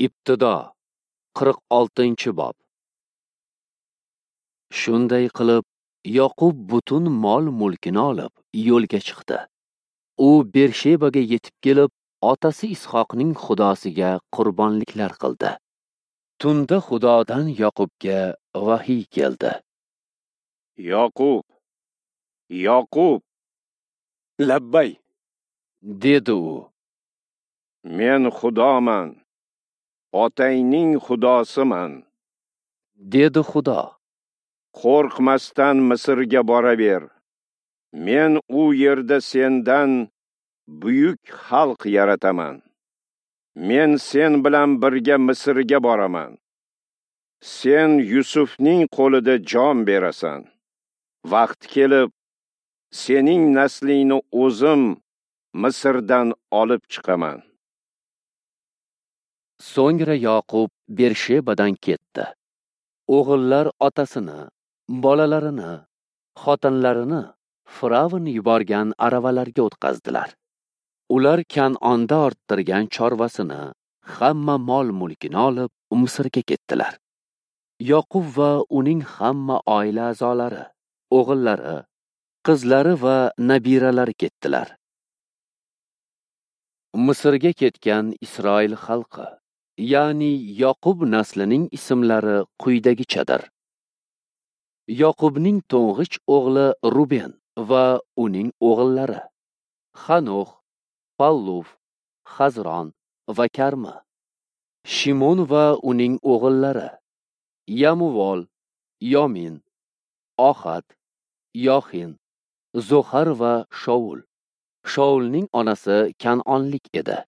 Ibtido 46-bob. Shunday qilib, Yoqub butun mol-mulkini olib yo'lga chiqdi. U Bershebaga yetib kelib, otasi Ishoqning Xudosiga qurbonliklar qildi. Tunda Xudodan Yoqubga vahiy keldi. Yoqub, Yoqub, labbay, dedi u. Men Xudoman, otangning Xudosiman, dedi Xudo. Qo'rqmasdan Misrga boraver. Men u yerda sendan buyuk xalq yarataman. Men sen bilan birga Misrga boraman. Sen Yusufning qo'lida jon berasan. Vaqt kelib, sening naslingni o'zim Misrdan olib chiqaman. So'ngra Yoqub Bershebadan ketdi. O'g'illar otasini, bolalarini, xotinlarini Firavn yuborgan aravalarga o'tqazdilar. Ular Kan'onda orttirgan chorvasini, hamma mol-mulkini olib Misrga ketdilar. Yoqub va uning hamma oila a'zolari, o'g'illari, qizlari va nabiralari ketdilar. Misrga ketgan Isroil xalqi, ya'ni Yoqub naslining ismlari quyidagichadir. Yoqubning to'ng'ich o'g'li Ruben va uning o'g'illari Xanox, Palluf, Xazron va Karmi. Shimon va uning o'g'illari Yamuvol, Yomin, Ohat, Yoxin, Zohar va Shaul. Shaulning onasi Kan'onlik edi.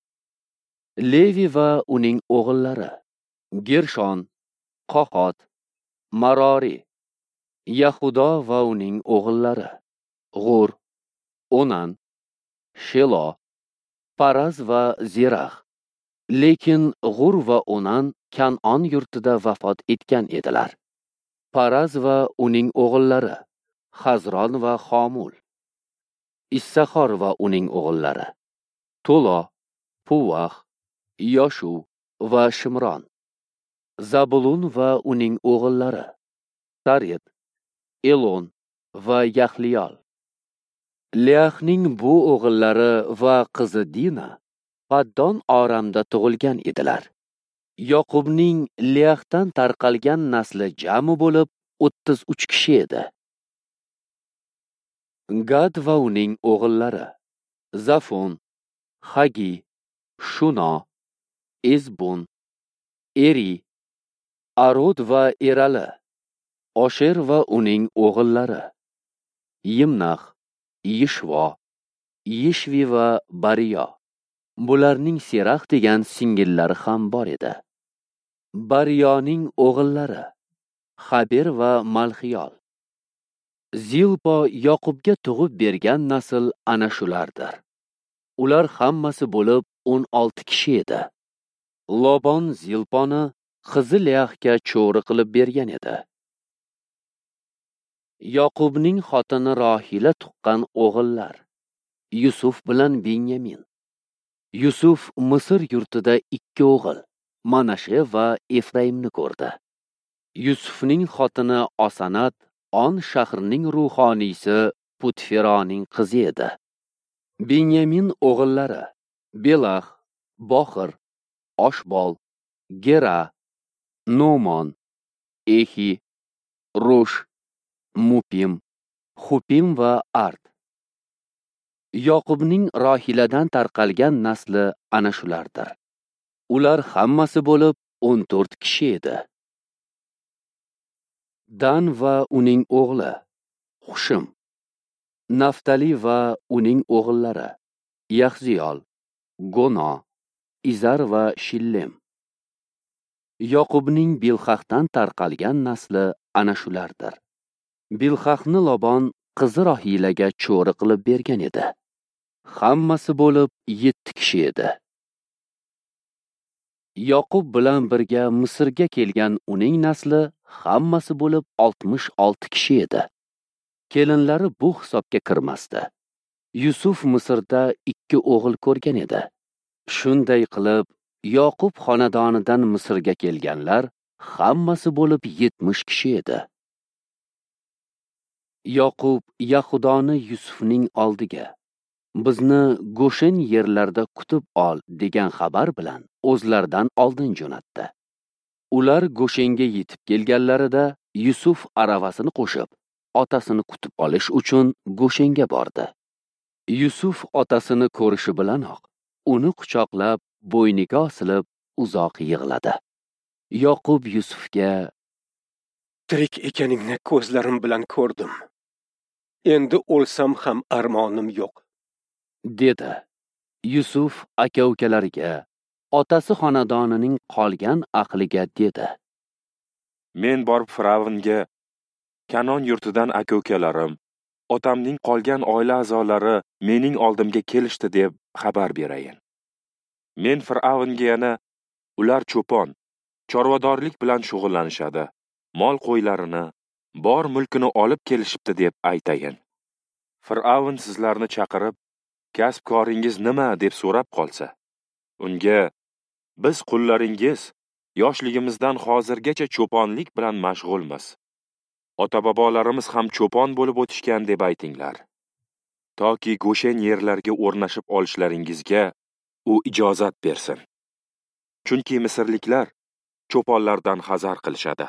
Levi va uning o'g'illari Gershon, Qohot, Marori. Yahudo va uning o'g'illari G'ur, Onan, Shelo, Paraz va Zerax. Lekin G'ur va Onan Kan'on yurtida vafot etgan edilar. Paraz va uning o'g'illari Xazron va Xomul. Issaxor va uning o'g'illari To'lo, Puvax, Yoshu va Shimron. Zabulun va uning o'g'illari Saret, Elon va Yahliyol. Leahning bu o'g'illari va qizi Dina Paddon Oramda tug'ilgan edilar. Yoqubning Leahdan tarqalgan nasli jami bo'lib 33 kishi edi. Gad va uning o'g'illari Zafon, Hagi, Shuno, Ezbon, Eri, Arod va Erali. Osher va uning o'g'illari Yimnax, Yishvo, Yishvi va Bariyo. Bularning Serax degan singillari ham bor edi. Bariyoning o'g'illari Xaber va Malxiyol. Zilpo Yoqubga tug'ib bergan nasl ana shulardir. Ular hammasi bo'lib 16 kishi edi. Lobon Zilponi qizi Leahga cho'ri qilib bergan edi. Yoqubning xotini Rohila tuqqan o'g'illar Yusuf bilan Binyamin. Yusuf Misr yurtida 2 o'g'il, Manashe va Efraimni ko'rdi. Yusufning xotini Osanat On shahrining ruhoniysi Putferoning qizi edi. Binyamin o'g'illari Belax, Boxir, Oshbol, Gera, Nomon, Ehi, Rush, Mupim, Xupim va Ard. Yoqubning Rohiladan tarqalgan nasli ana shulardir. Ular hammasi bo'lib 14 kishi edi. Dan va uning o'g'li Xushim, Naftali va uning o'g'illari Yaxziyol, Gono, Izar va Shillem. Yoqubning Bilhahdan tarqalgan nasli ana shulardir. Bilhahni Lobon qizi Rohilaga cho'ri qilib bergan edi. Hammasi bo'lib 7 kishi edi. Yoqub bilan birga Misrga kelgan uning nasli hammasi bo'lib 66 kishi edi. Kelinlari bu hisobga kirmasdi. Yusuf Misrda 2 o'g'il ko'rgan edi. Shunday qilib, Yoqub xonadonidan Misrga kelganlar hammasi bo'lib 70 kishi edi. Yoqub Yahudoni Yusufning oldiga, bizni Goshen yerlarida kutib ol degan xabar bilan o'zlaridan oldin jo'natdi. Ular Goshenga yetib kelganlarida Yusuf aravasini qo'shib, otasini kutib olish uchun Goshenga bordi. Yusuf otasini ko'rishi bilanoq uni quchoqlab, bo'yniga osilib uzoq yig'ladi. Yoqub Yusufga: "Tirik ekaningni ko'zlarim bilan ko'rdim. Endi o'lsam ham armonim yo'q", dedi. Yusuf aka-ukalariga, otasi xonadonining qolgan ahliga dedi: "Men borib Firavnga Kanon yurtidan aka-ukalarim, otamning qolgan oila a'zolari mening oldimga kelishdi deb xabar berayin. Men Firavnga yana ular cho'pon, chorvadorlik bilan shug'ullanishadi, mol qo'ylarini, bor mulkini olib kelishibdi deb aytayin. Fir'avn sizlarni chaqirib, kasb-koringiz nima deb so'rab qolsa, unga biz qullaringiz yoshligimizdan hozirgacha cho'ponlik bilan mashg'ulmiz. Ota-bobolarimiz ham cho'pon bo'lib o'tishgan deb aytinglar. Toki Goshen yerlarga o'rnashib olishlaringizga u ijozat bersin. Chunki misrliklar cho'ponlardan hazar qilishadi."